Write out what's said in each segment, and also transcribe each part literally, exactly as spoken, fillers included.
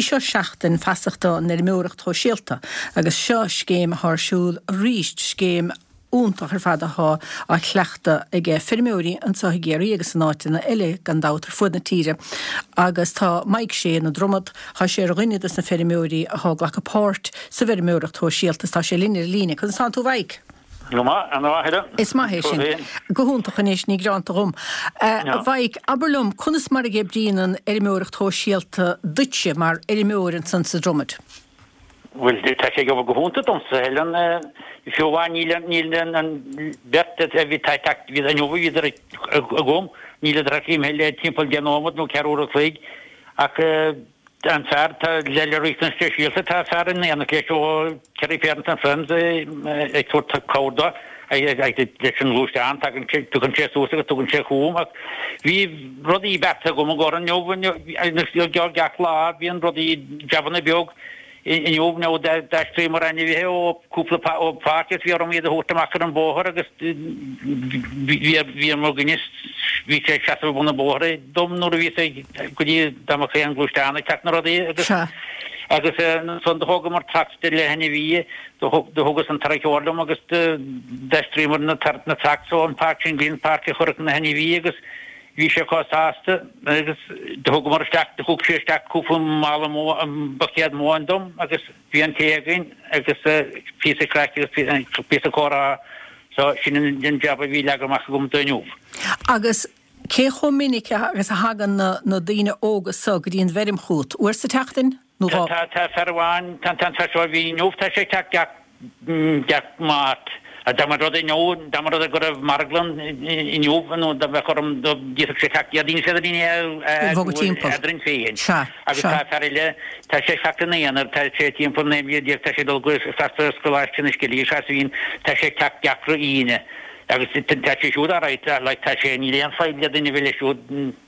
Sí seo seachtain feasachta an fheirmeoireacht shóisialta agus seo scéim atá ar siúl arís scéim iontach ar fad atá á chleachtadh ag feirmeoirí anseo i gCiarraí agus in áiteanna eile gan dabht ar fud na tíre. Agus tá Mike Shea na Dromad tá sé ar dhuine de na feirmeoirí atá ag glacadh páirt sa bhfeirmeoireacht shóisialta tá sé linn ar líne, conas tánn tú Mike. Is maith sin go hiontach anois ní greanta dhom. Mike, abair liom conas mar a oibríonn an fheirmeoireacht shóisialta duitse mar fheirmeoir ansan sa Dromad. Well tá sé go hiontach domsa Helen fiú níl níl an bheirt a bhí bhí an bhí agam níl imithe timpeall deich nóiméad nó ceathrú an chloig ach an fear tá le le riachtanais speisialta tá fear in éineacht leis ó Kerry Parents and Friends ag tabhairt cabhair dó leis an ngluaisteán tagann tugann sé suas agus tugann sé chugam ach bhí rudaí beartaithe agam i gcóir inniu gach lá bíonn rudaí jabanna beag inniu nó d'aistríomar ainmhithe ó cúpla ó pháirc is bhí orm iad a thabhairt amach ar an bóthar agus bhí mo dhuine bhí sé seasamh bun an bhóthair dom nuair a bhí sé go dtí dá mbeadh an gluaisteán ag teacht na rudaí agus agus ansan do thógamar tractor le hainmhithe do thugas an tarracóir liom agus d'aistríomar na na tracts ó an páirc sin go dtí an páirc a chuirfeadh na hainmhithe agus bhí sé chomh sásta agus do thugamar isteach do thug sé isteach cúpla mála buicéad móin dom agus bhí an tae againn agus píosa craic agus píosa comhrá so sin an jab a bhí leagtha amach agam do inniu. Agus cé chomh minic agus a thagann na, na daoine óga so go dtí an bhfeirm chugat uair sa tseachtain nó dhá? Tá tá fear amháin tá an fear seo a bhí inniu tá sé ag teacht gach gach Máirt. Dá mba rud inniu dá mba rud é go raibh marglann inniu nó dá mbeadh orm d'fhéadfadh sé teacht Déardaoin is Déardaoin Bhogadh timpeall. eadrainn féin. Sea, Agus sea. tá fear eile tá sé ag teacht ina aonar tá sé timpeall naoi mbliana déag tá sé ag dul go freastal ar Choláiste na Scilly is bhíonn tá sé ag teacht gach re Aoine. Agus tá sé siúd alright like tá sé níl aon fadhb le duine bheith leis siúd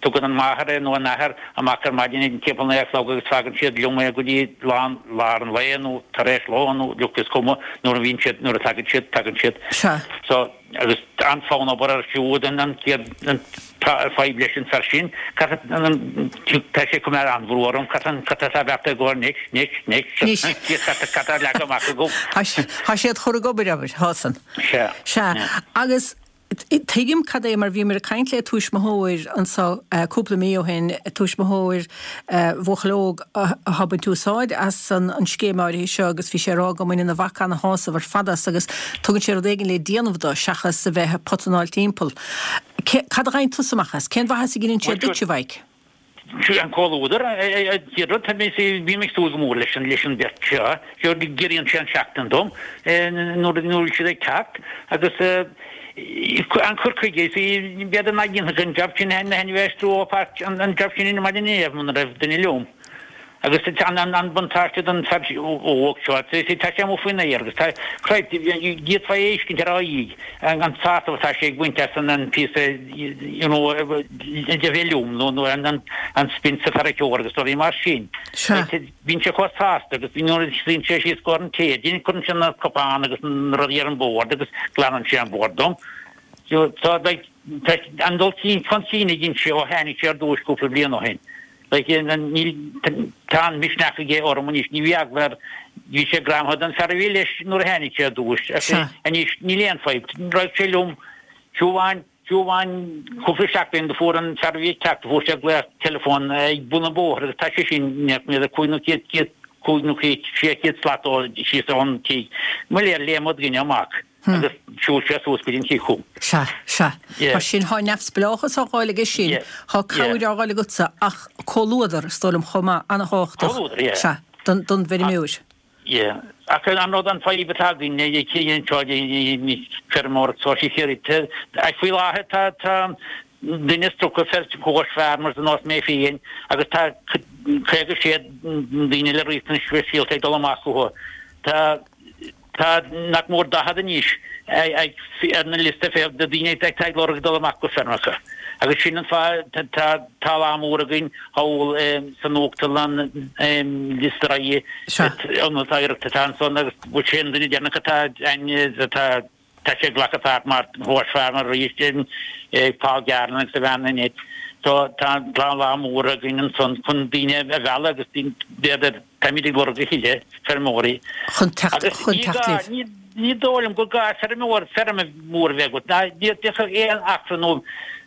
tugann an máthair é nó an athair amach ar maidin ag timpeall naoi a chlog agus fágann siad liom é go dtí lán lár an lae nó tar éis lóin nó look is cuma nuair a bhíonn siad nuair a tagann siad tagann siad. Sea. So agus an-fhonn obair ar siúd an an chéad an fadhb leis an fear sin tá sé ag cur an-bhrú orm cad cad atá beartaithe go anois anois anois Anois. cad tá leagtha amach agam. Tá siad chur ag obair abair Hassan. Sea. Sea agus tuigim cad é mar bhíomar ag caint le tuismitheoir anseo cúpla mí ó shin tuismitheoir buachaill óg atá ag baint úsáid as an an scéim áirithe seo agus bhí sé ag rá go mbaineann a mhac ana-shásamh ar fad as agus tugann sé rud éigin le déanamh dó seachas a bheith ag potanáil timpeall. Cad a ghain tusa amach as? Cén mhaitheas a dhéanann sé duit a Mhaidhc? An comhluadar rud bhí mé ag súil go mór leis an leis an bheirt seo seo giorraíonn sé an seachtain dom nuair nuair siad ag teacht agus an cur chuige b'fhéidir nach ndéanfadh an job sin na hainmhithe ó pháirc an job sin in maidin inniu muna raibh duine liom. Agus an an an buntáiste don fear óg seo tá sé amuigh faoin aer agus tá d'fhéadfá é a fheiscint ar a aghaidh an an sásamh atá sé ag baint as an an píosa you know de bheith liom nó nó an an an spin sa tarracóir agus rudaí mar sin. Sea. Bíonn sé chomh sásta agus nuair a suíonn sé síos go an tae, cuireann sé na cupáin agus na rudaí ar an bord agus glanann sé an bord dom. So tá like an dul chun cinn a dhein sé ó tháinig sé ar dtús cúpla bliain ó shin. Like níl tá an misneach aige orm anois ní bhí eagla air bhí sé greamaithe den fear a bhí leis nuair a tháinig sé ar dtús. Sea. Anois níl aon fadhb. Raibh sé liom fiú amháin fiú amháin cúpla seachtain do fuair an fear a bhí ag teacht fuair sé glaoch teileafóin ag bun an bhóthair agus tá sé sin nach mbeadh cúig nó céad céad cúig nó céad sé chéad slat ó síos ón tigh. Mo léir léim an duine amach agus shiúil sé suas go dtí an tigh chugam. Sea, sea. Yeah. Tá sin tá neamhspleáchas á fháil aige sin, Yeah. tá cabhair á fháil agatsa ach comhluadar is dóigh liom chomh maith an-tábhachtach. Comhluadar, yeah. Sea, don don bhfeirmeoir. Yeah. Ach an rud an fadhb atá againn anseo feirmeoireacht sóisialta faoi láthair tá tá duine is tríocha fear coach farmers ar nós mé féin agus tá caoga sé daoine le riachtanais speisialta ag dul amach chucu. Tá tá nach mór daichead anois ar na liosta féach de daoine ag ag lorg dul amach go feirmeacha. Agus sin an fáth tá tá lá mór againn thall san uachtarlann liosta Sea. an oidhreachta atá ansan agus bhfuil sé an duine deireanach atá atá tá sé glactha páirt mar horse farmer arís Paul Garland agus a bhean Annette. So tá tá lá mór againn ansan chun daoine a mhealladh agus b'fhéidir táimid ag lorg a thuilleadh feirmeoirí. Chun teacht chun teacht libh. Ní ní dóigh liom gur gá feirmeoir feirm mhór a bheith agat. Ná d'fhéadfadh aon acra nó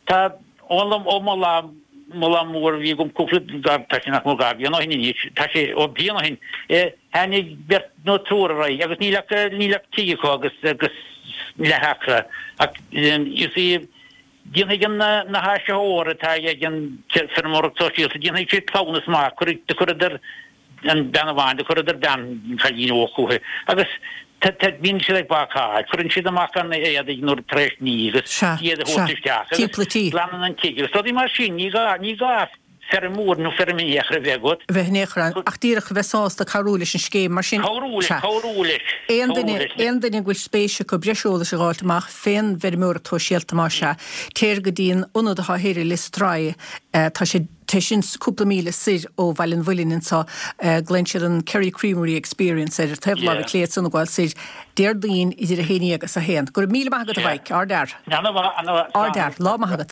tá ó ó mo lá mo lá mór a bhí agam cúpla tá sé nach mór dhá bhliain ó shin anois tá sé ó bliain ó shin tháinig beirt nó triúr ar aghaidh agus níl ach níl ach tigh acu agus agus leath acra ach you see Déanfaidh an na háisitheoir atá ag an feirmeoireacht sóisialta, déanfaidh siad cleamhnas maith, cuirfidh, do chuireadar an bean amháin, do chuireadar bean, an cailín óg chucu agus bíonn siad ag bácáil, cuireann siad amach an éadaigh nuair tar éis ní agus iad a thabhairt isteach agus glanann an tigh agus rudaí mar sin, ní gá, ní gá feirm mhór nó feirm in aon chor a bheith agat. Bheith in aon chor ann, ach díreach a bheith sásta cabhrú leis an scéim, mar sin. Cabhrú leis, cabhrú leis. Aon duine, aon duine go bhfuil spéis acu breis eolais a dh'fháilt amach fén bhfeirmeoireacht shóisialta, más ea, téir go dtí an ionad atá thoir i Lios Tuathail, tá sé, tá sin cúpla míle soir ó Bhaile an Mhuilinn anso, glaonn siad an Kerry Creamery Experience air, ar taobh láimhe clé ansan ag gabháil soir, Déardaoin idir a haon déag agus a haon. Go raibh míle maith agat a Mhaidhc, ardfhear. Ana-mhaith, ana-mhaith. Ardfhear, lá maith agat.